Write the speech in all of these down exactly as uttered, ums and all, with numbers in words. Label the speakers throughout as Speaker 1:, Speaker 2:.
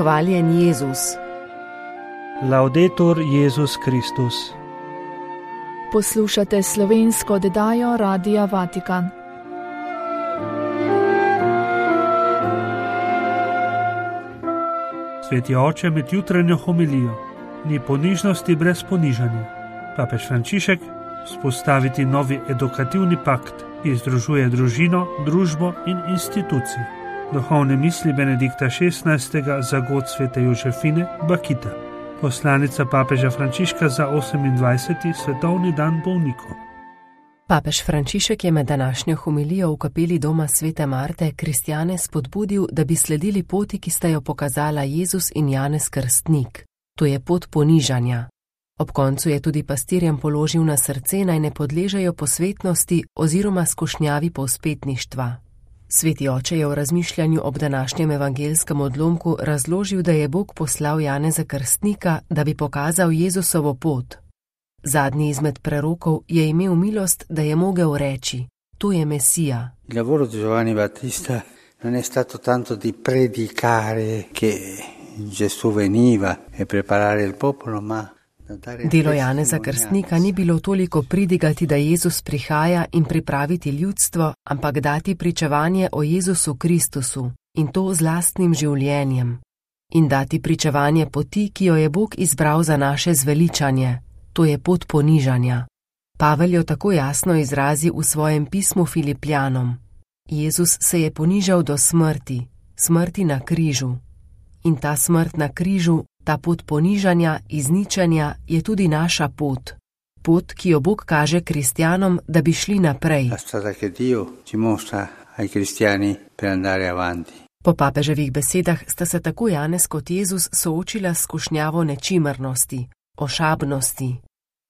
Speaker 1: Hvaljen Jezus.
Speaker 2: Laudetur Jezus Kristus.
Speaker 3: Poslušate slovensko oddajo Radia Vatikan.
Speaker 2: Sveti oče med jutranjo homilijo: ni ponižnosti brez ponižanja. Papež Frančišek: vzpostaviti novi edukativni pakt, ki združuje družino, družbo in institucije. Duhovne misli Benedikta šestnajstega za god svete Jožefine Bakita. Poslanica papeža Frančiška za osemindvajseti svetovni dan bolnikov.
Speaker 1: Papež Frančišek je med današnjo homilijo v kapeli doma svete Marte kristjane spodbudil, da bi sledili poti, ki sta jo pokazala Jezus in Janez Krstnik. To je pot ponižanja. Ob koncu je tudi pastirjem položil na srce, naj ne podležejo posvetnosti oziroma skušnjavi povzpetništva. Sveti oče je v razmišljanju ob današnjem evangelskem odlomku razložil, da je Bog poslal Janeza Krstnika, da bi pokazal Jezusovo pot. Zadnji izmed prerokov je imel milost, da je mogel reči: to je Mesija.
Speaker 4: Il lavoro di Giovanni Battista non è stato tanto di predicare che Gesù veniva e preparare il popolo, ma
Speaker 1: Delo Janeza Krstnika ni bilo toliko pridigati, da Jezus prihaja in pripraviti ljudstvo, ampak dati pričevanje o Jezusu Kristusu in to z lastnim življenjem. In dati pričevanje poti, ki jo je Bog izbral za naše zveličanje. To je pot ponižanja. Pavel jo tako jasno izrazi v svojem pismu Filipljanom. Jezus se je ponižal do smrti, smrti na križu. In ta smrt na križu, ta pot ponižanja, izničenja je tudi naša pot. Pot, ki jo Bog kaže kristjanom, da bi šli naprej. Po papeževih besedah sta se tako Janez kot Jezus soočila s skušnjavo nečimrnosti, ošabnosti.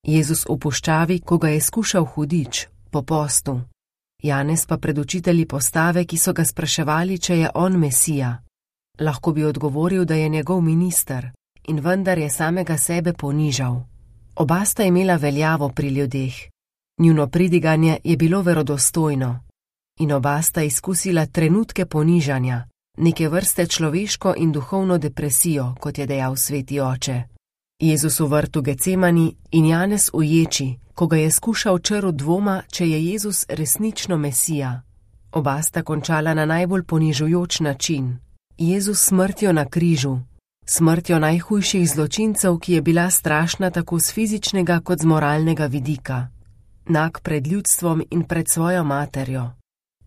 Speaker 1: Jezus v puščavi, ko ga je skušal hudič, po postu. Janez pa pred učitelji postave, ki so ga spraševali, če je on Mesija. Lahko bi odgovoril, da je njegov minister, in vendar je samega sebe ponižal. Oba sta imela veljavo pri ljudeh. Njuno pridiganje je bilo verodostojno. In oba sta izkusila trenutke ponižanja, neke vrste človeško in duhovno depresijo, kot je dejal sveti oče. Jezus v vrtu Gecemani in Janez v ječi, ko ga je skušal črv dvoma, če je Jezus resnično Mesija. Oba sta končala na najbolj ponižujoč način. Jezus smrtjo na križu, smrtjo najhujših zločincev, ki je bila strašna tako z fizičnega kot z moralnega vidika. Nag pred ljudstvom in pred svojo materjo.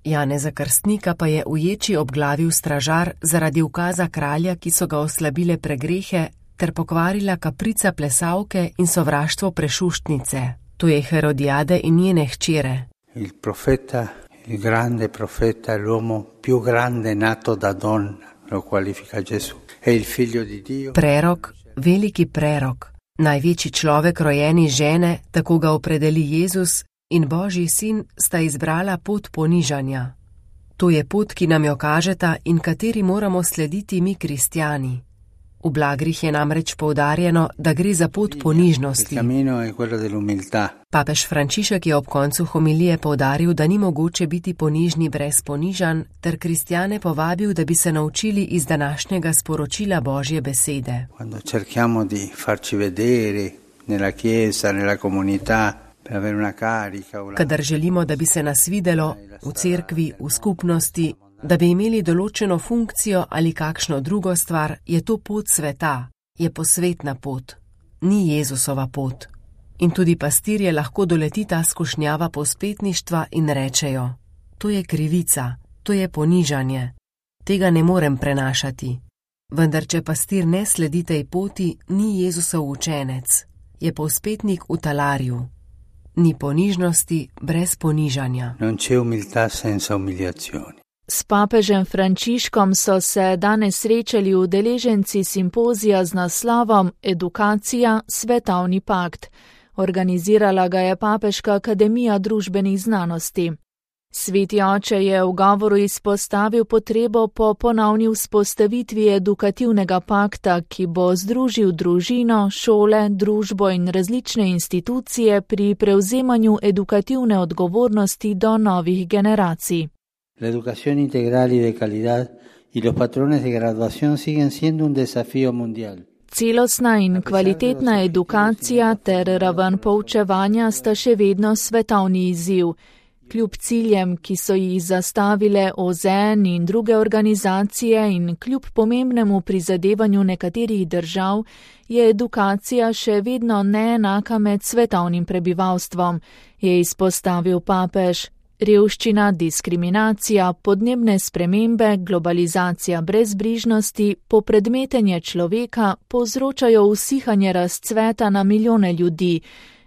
Speaker 1: Janeza Krstnika pa je v ječi obglavil stražar zaradi ukaza kralja, ki so ga oslabile pregrehe ter pokvarila kaprica plesavke in sovraštvo prešuštnice. To je Herodijade in njene hčere.
Speaker 4: Il profeta, il grande profeta, l'uomo più grande nato da donna.
Speaker 1: Prerok, veliki prerok, največji človek rojeni žene, tako ga opredeli Jezus, in Božji sin sta izbrala pot ponižanja. To je pot, ki nam jo kažeta in kateri moramo slediti mi kristjani. V blagrih je namreč poudarjeno, da gre za pot ponižnosti. Papež Frančišek je ob koncu homilije poudaril, da ni mogoče biti ponižni brez ponižanj, ter kristjane povabil, da bi se naučili iz današnjega sporočila Božje besede. Kadar želimo, da bi se nas videlo v cerkvi, v skupnosti, da bi imeli določeno funkcijo ali kakšno drugo stvar, je to pot sveta, je posvetna pot, ni Jezusova pot. In tudi pastirje lahko doleti ta skušnjava povzpetništva in rečejo: to je krivica, to je ponižanje, tega ne morem prenašati. Vendar če pastir ne sledi tej poti, ni Jezusov učenec, je povzpetnik v talarju. Ni ponižnosti brez ponižanja.
Speaker 4: Non c'è umiltà senza umiliazioni.
Speaker 3: S papežem Frančiškom so se danes srečali udeleženci simpozija z naslovom Edukacija, svetovni pakt. Organizirala ga je Papeška akademija družbenih znanosti. Sveti oče je v govoru izpostavil potrebo po ponovni vzpostavitvi edukativnega pakta, ki bo združil družino, šole, družbo in različne institucije pri prevzemanju edukativne odgovornosti do novih generacij.
Speaker 4: La educación integral y de calidad y los patrones de graduación siguen siendo un desafío mundial.
Speaker 3: Celostna in kvalitetna edukacija ter raven poučevanja sta še vedno svetovni izziv. Kljub ciljem, ki so jih zastavile O Z N in druge organizacije in kljub pomembnemu prizadevanju nekaterih držav, je edukacija še vedno neenaka med svetovnim prebivalstvom, je izpostavil papež. Revščina, diskriminacija, podnebne spremembe, globalizacija brezbrižnosti, popredmetenje človeka povzročajo usihanje razcveta na milijone ljudi.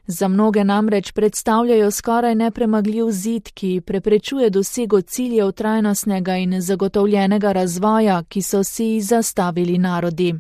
Speaker 3: Za mnoge namreč predstavljajo skoraj nepremagljiv zid, ki preprečuje dosego ciljev trajnostnega in zagotovljenega razvoja, ki so si jih zastavili narodi.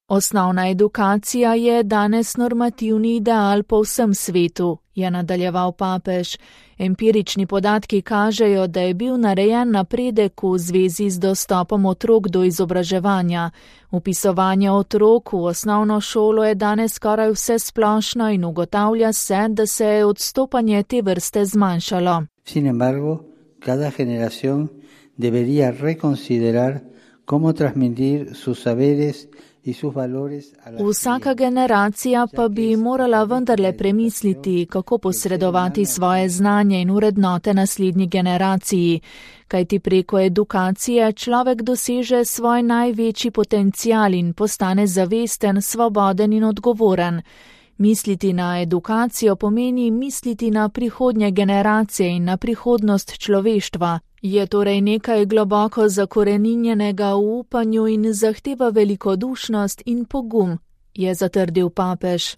Speaker 3: Osnovna edukacija je danes normativni ideal po vsem svetu, je nadaljeval papež. Empirični podatki kažejo, da je bil narejen napredek v zvezi z dostopom otrok do izobraževanja. Vpisovanje otrok v osnovno šolo je danes skoraj vse splošno in ugotavlja se, da se je odstopanje te vrste zmanjšalo.
Speaker 4: Sin embargo, cada generación debería reconsiderar cómo transmitir sus saberes.
Speaker 3: Vsaka generacija pa bi morala vendarle premisliti, kako posredovati svoje znanje in vrednote naslednji generaciji, kajti preko edukacije človek doseže svoj največji potencial in postane zavesten, svoboden in odgovoren. Misliti na edukacijo pomeni misliti na prihodnje generacije in na prihodnost človeštva. Je torej nekaj globoko zakoreninjenega v upanju in zahteva velikodušnost in pogum, je zatrdil papež.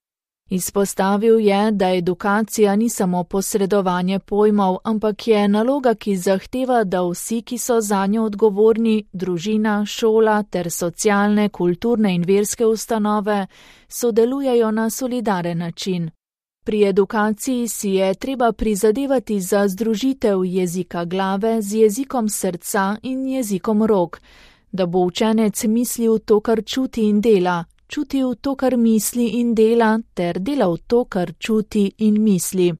Speaker 3: Izpostavil je, da edukacija ni samo posredovanje pojmov, ampak je naloga, ki zahteva, da vsi, ki so zanjo odgovorni, družina, šola ter socialne, kulturne in verske ustanove, sodelujejo na solidaren način. Pri edukaciji si je treba prizadevati za združitev jezika glave z jezikom srca in jezikom rok, da bo učenec mislil to, kar čuti in dela, čutil to, kar misli in dela, ter delal to, kar čuti in misli.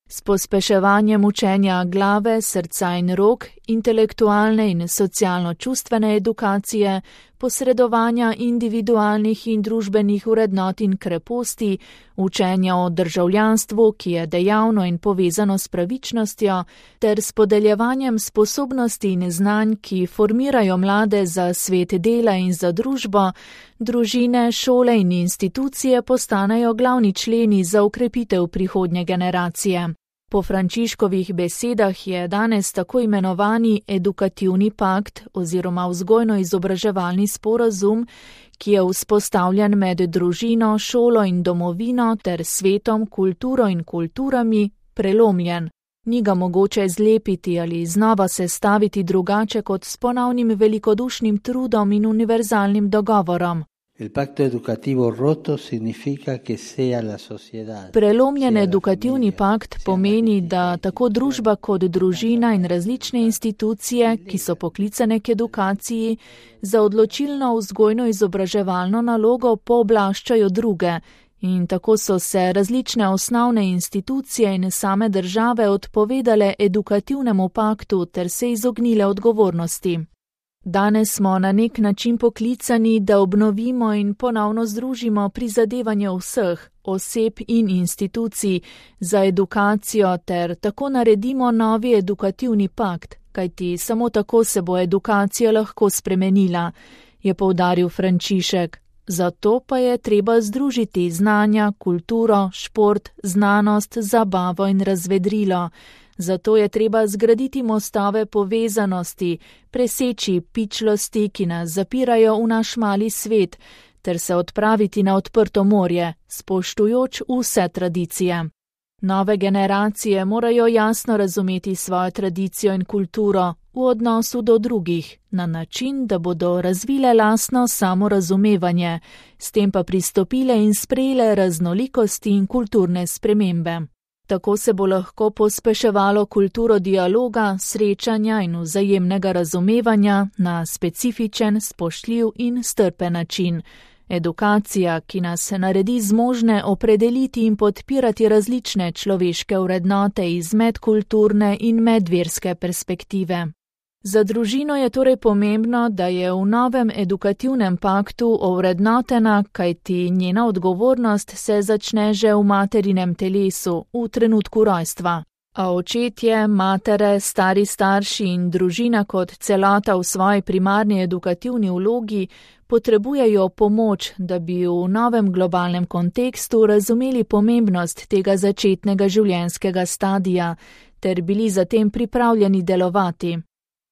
Speaker 3: S pospeševanjem učenja glave, srca in rok, intelektualne in socialno-čustvene edukacije, posredovanja individualnih in družbenih vrednot in kreposti, učenja o državljanstvu, ki je dejavno in povezano s pravičnostjo, ter s podeljevanjem sposobnosti in znanj, ki formirajo mlade za svet dela in za družbo, družine, šole in institucije postanejo glavni členi za ukrepitev prihodnje generacije. Po Frančiškovih besedah je danes tako imenovani edukativni pakt oziroma vzgojno-izobraževalni sporazum, ki je vzpostavljen med družino, šolo in domovino ter svetom, kulturo in kulturami, prelomljen. Ni ga mogoče zlepiti ali znova sestaviti drugače kot s ponovnim velikodušnim trudom in univerzalnim dogovorom.
Speaker 4: El pacto educativo roto significa que sea la sociedad.
Speaker 3: Prelomljen edukativni pakt pomeni, da tako družba kot družina in različne institucije, ki so poklicane k edukaciji, za odločilno vzgojno-izobraževalno nalogo pooblaščajo druge, in tako so se različne osnovne institucije in same države odpovedale edukativnemu paktu ter se izognile odgovornosti. Danes smo na nek način poklicani, da obnovimo in ponovno združimo prizadevanje vseh, oseb in institucij za edukacijo ter tako naredimo novi edukativni pakt, kajti samo tako se bo edukacija lahko spremenila, je poudaril Frančišek. Zato pa je treba združiti znanja, kulturo, šport, znanost, zabavo in razvedrilo. Zato je treba zgraditi mostove povezanosti, preseči pičlosti, ki nas zapirajo v naš mali svet, ter se odpraviti na odprto morje, spoštujoč vse tradicije. Nove generacije morajo jasno razumeti svojo tradicijo in kulturo v odnosu do drugih, na način, da bodo razvile lastno samorazumevanje, s tem pa pristopile in sprejele raznolikosti in kulturne spremembe. Tako se bo lahko pospeševalo kulturo dialoga, srečanja in vzajemnega razumevanja na specifičen, spoštljiv in strpen način. Edukacija, ki nas naredi zmožne opredeliti in podpirati različne človeške vrednote iz medkulturne in medverske perspektive. Za družino je torej pomembno, da je v novem edukativnem paktu ovrednotena, kajti njena odgovornost se začne že v materinem telesu, v trenutku rojstva. A očetje, matere, stari starši in družina kot celota v svoji primarni edukativni vlogi potrebujejo pomoč, da bi v novem globalnem kontekstu razumeli pomembnost tega začetnega življenjskega stadija ter bili zatem pripravljeni delovati.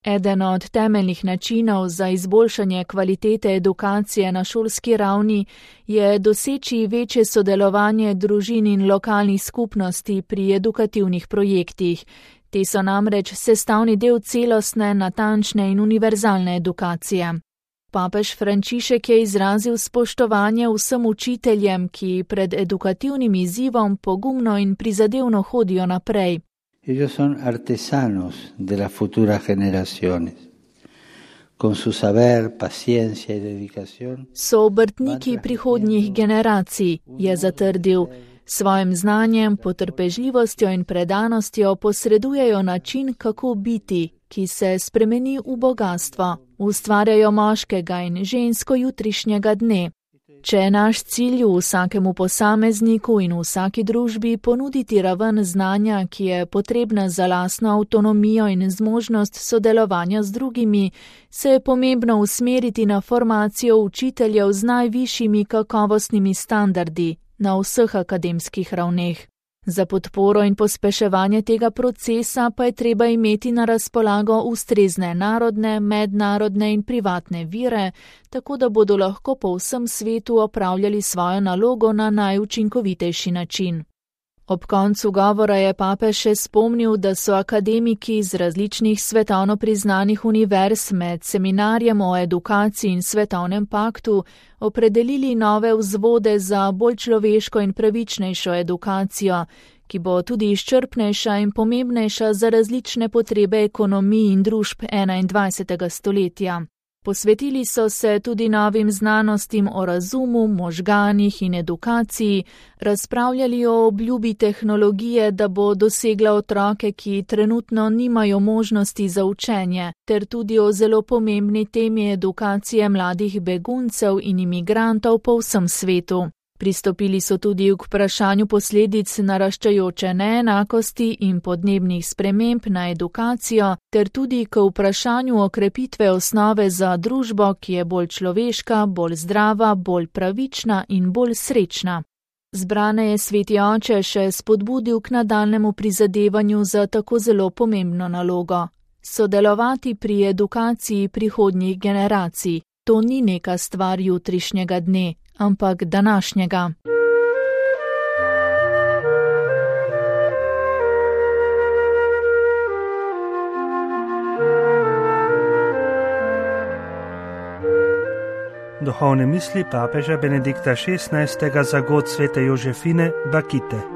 Speaker 3: Eden od temeljnih načinov za izboljšanje kvalitete edukacije na šolski ravni je doseči večje sodelovanje družin in lokalnih skupnosti pri edukativnih projektih. Te so namreč sestavni del celostne, natančne in univerzalne edukacije. Papež Frančišek je izrazil spoštovanje vsem učiteljem, ki pred edukativnim izzivom pogumno in prizadevno hodijo naprej.
Speaker 4: Ellos son artesanos de las futuras generaciones. Con su saber, paciencia y dedicación.
Speaker 3: So obrtniki prihodnjih generacij, je zatrdil. Svojim znanjem, potrpežljivostjo in predanostjo posredujejo način, kako biti, ki se spremeni v bogastvo. Ustvarjajo moškega in žensko jutrišnjega dne. Če je naš cilj v vsakemu posamezniku in v vsaki družbi ponuditi raven znanja, ki je potrebna za lastno avtonomijo in zmožnost sodelovanja z drugimi, se je pomembno usmeriti na formacijo učiteljev z najvišjimi kakovostnimi standardi na vseh akademskih ravneh. Za podporo in pospeševanje tega procesa pa je treba imeti na razpolago ustrezne narodne, mednarodne in privatne vire, tako da bodo lahko po vsem svetu opravljali svojo nalogo na najučinkovitejši način. Ob koncu govora je papež še spomnil, da so akademiki iz različnih svetovno priznanih univerz med seminarjem o edukaciji in svetovnem paktu opredelili nove vzvode za bolj človeško in pravičnejšo edukacijo, ki bo tudi izčrpnejša in pomembnejša za različne potrebe ekonomij in družb enaindvajsetega stoletja. Posvetili so se tudi novim znanostim o razumu, možganih in edukaciji, razpravljali o obljubi tehnologije, da bo dosegla otroke, ki trenutno nimajo možnosti za učenje, ter tudi o zelo pomembni temi edukacije mladih beguncev in imigrantov po vsem svetu. Pristopili so tudi k vprašanju posledic naraščajoče neenakosti in podnebnih sprememb na edukacijo, ter tudi k vprašanju okrepitve osnove za družbo, ki je bolj človeška, bolj zdrava, bolj pravična in bolj srečna. Zbrane je sveti oče še spodbudil k nadaljnemu prizadevanju za tako zelo pomembno nalogo. Sodelovati pri edukaciji prihodnjih generacij. To ni neka stvar jutrišnjega dne, ampak današnjega.
Speaker 2: Duhovne misli papeža Benedikta šestnajstega za god svete Jožefine Bakite.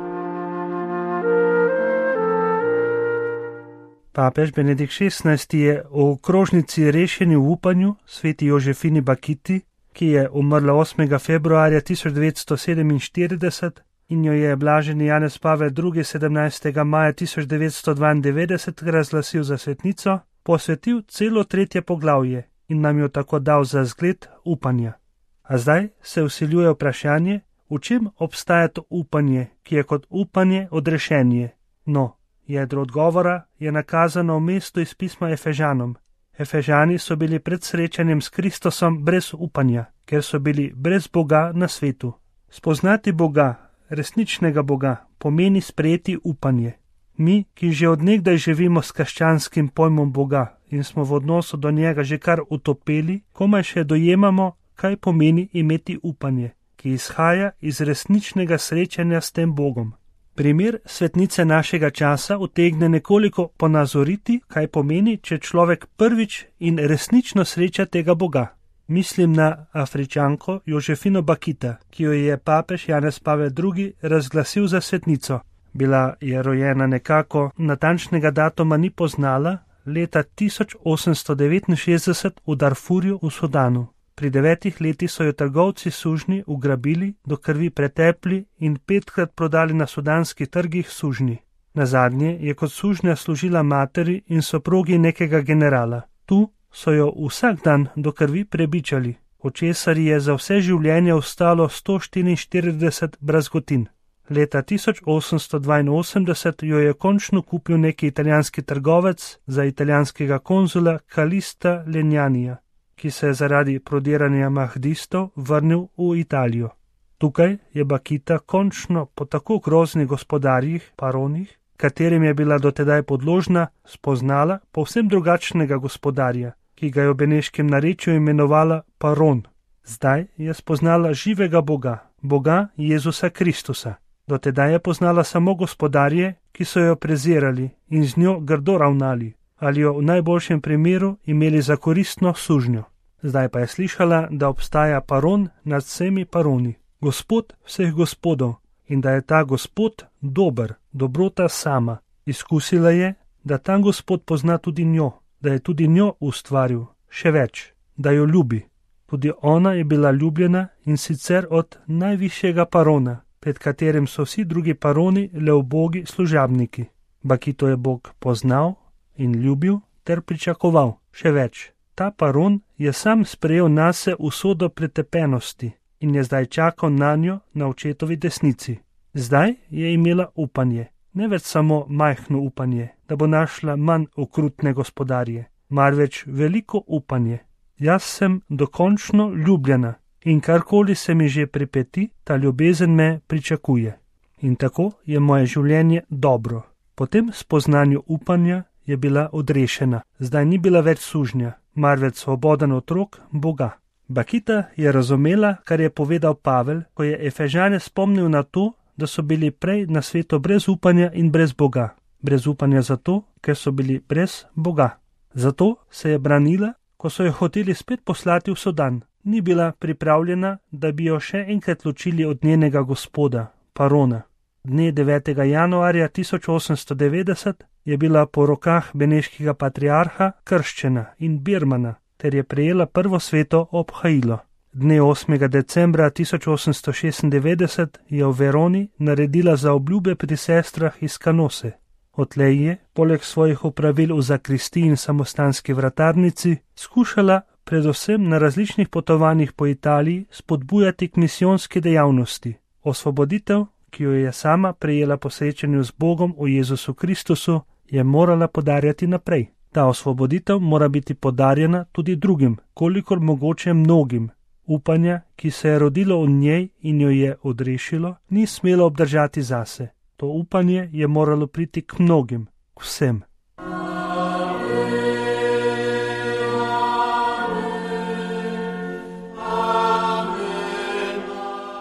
Speaker 2: Papež Benedikt šestnajsti je v okrožnici Rešeni v upanju sveti Jožefini Bakiti, ki je umrla osmega februarja tisoč devetsto sedeminštirideset in jo je blaženi Janez Pavel drugi. sedemnajstega maja tisoč devetsto dvaindevetdeset razglasil za svetnico, posvetil celo tretje poglavje in nam jo tako dal za zgled upanja. A zdaj se vsiljuje vprašanje, v čem obstaja to upanje, ki je kot upanje odrešenje. No, jedro odgovora je nakazano v mestu iz pisma Efežanom. Efežani so bili pred srečanjem s Kristusom brez upanja, ker so bili brez Boga na svetu. Spoznati Boga, resničnega Boga, pomeni sprejeti upanje. Mi, ki že od nekdaj živimo s krščanskim pojmom Boga in smo v odnosu do njega že kar utopeli, komaj še dojemamo, kaj pomeni imeti upanje, ki izhaja iz resničnega srečanja s tem Bogom. Primer svetnice našega časa utegne nekoliko ponazoriti, kaj pomeni, če človek prvič in resnično sreča tega Boga. Mislim na Afričanko Jožefino Bakita, ki jo je papež Janez Pavel drugi. razglasil za svetnico. Bila je rojena nekako, natančnega datuma ni poznala, leta tisoč osemsto devetinšestdeset v Darfurju v Sudanu. Pri devetih letih so jo trgovci sužnji ugrabili, do krvi pretepli in petkrat prodali na sudanskih trgih sužnji. Nazadnje je kot sužnja služila materi in soprogi nekega generala. Tu so jo vsak dan do krvi prebičali, od česar je za vse življenje ostalo sto štiriinštirideset brazgotin. Leta tisoč osemsto dvainosemdeset jo je končno kupil neki italijanski trgovec za italijanskega konzula Kalista Lenjanija, ki se je zaradi prodiranja mahdistov vrnil v Italijo. Tukaj je Bakita končno po tako groznih gospodarjih, paronih, katerim je bila dotedaj podložna, spoznala povsem drugačnega gospodarja, ki ga je v beneškem narečju imenovala Paron. Zdaj je spoznala živega Boga, Boga Jezusa Kristusa. Dotedaj je poznala samo gospodarje, ki so jo prezirali in z njo grdo ravnali, ali jo v najboljšem primeru imeli za koristno sužnjo. Zdaj pa je slišala, da obstaja Paron nad vsemi paroni, Gospod vseh gospodov, in da je ta Gospod dober, dobrota sama. Izkusila je, da ta Gospod pozna tudi njo, da je tudi njo ustvaril, še več, da jo ljubi. Tudi ona je bila ljubljena in sicer od najvišjega Parona, pred katerim so vsi drugi paroni le ubogi služabniki. Bakito je Bog poznal in ljubil ter pričakoval, še več. Ta Paron je sam sprejel nase usodo pretepenosti in je zdaj čakal na njo na očetovi desnici. Zdaj je imela upanje, ne več samo majhno upanje, da bo našla manj okrutne gospodarje, marveč veliko upanje. Jaz sem dokončno ljubljena in karkoli se mi že pripeti, ta ljubezen me pričakuje. In tako je moje življenje dobro. Po tem spoznanju upanja je bila odrešena, zdaj ni bila več sužnja, marveč svoboden otrok Boga. Bakita je razumela, kar je povedal Pavel, ko je Efežane spomnil na to, da so bili prej na svetu brez upanja in brez Boga. Brez upanja zato, ker so bili brez Boga. Zato se je branila, ko so jo hoteli spet poslati v Sudan. Ni bila pripravljena, da bi jo še enkrat ločili od njenega gospoda, Parona. Dne devetega januarja tisoč osemsto devetdeset je bila po rokah beneškega patriarha krščena in birmana, ter je prejela prvo sveto obhajilo. Dne osmega decembra tisoč osemsto šestindevetdeset je v Veroni naredila zaobljube pri sestrah iz Kanose. Odtlej je, poleg svojih opravil v zakristiji in samostanski vratarnici, skušala predvsem na različnih potovanjih po Italiji spodbujati k misijonski dejavnosti. Osvoboditev, ki jo je sama prejela po srečanju z Bogom v Jezusu Kristusu, je morala podarjati naprej. Ta osvoboditev mora biti podarjena tudi drugim, kolikor mogoče mnogim. Upanja, ki se je rodilo v njej in jo je odrešilo, ni smelo obdržati zase. To upanje je moralo priti k mnogim, k vsem.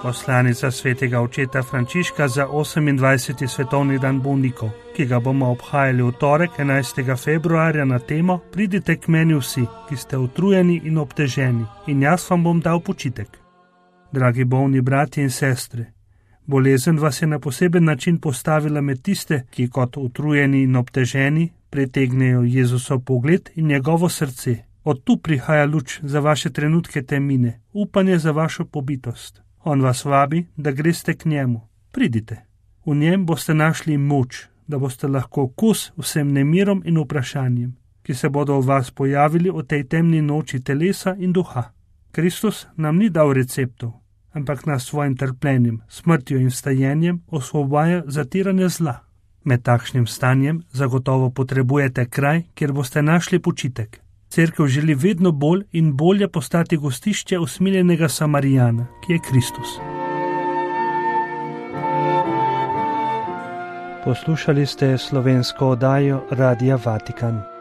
Speaker 2: Poslanica svetega očeta Frančiška za osemindvajseti svetovni dan bolnikov, ki ga bomo obhajali v torek enajstega februarja na temo Pridite k meni vsi, ki ste utrujeni in obteženi, in jaz vam bom dal počitek. Dragi bolni bratje in sestre, bolezen vas je na poseben način postavila med tiste, ki kot utrujeni in obteženi pritegnejo Jezusov pogled in njegovo srce. Od tu prihaja luč za vaše trenutke temine, upanje za vašo pobitost. On vas vabi, da greste k njemu. Pridite. V njem boste našli moč, da boste lahko kos vsem nemirom in vprašanjem, ki se bodo v vas pojavili v tej temni noči telesa in duha. Kristus nam ni dal receptov, ampak nas svojim trpljenjem, smrtjo in vstajenjem osvobaja zatiranja zla. Med takšnim stanjem zagotovo potrebujete kraj, kjer boste našli počitek. Cerkev želi vedno bolj in bolje postati gostišče usmiljenega Samarijana, ki je Kristus. Poslušali ste slovensko oddajo Radia Vatikan.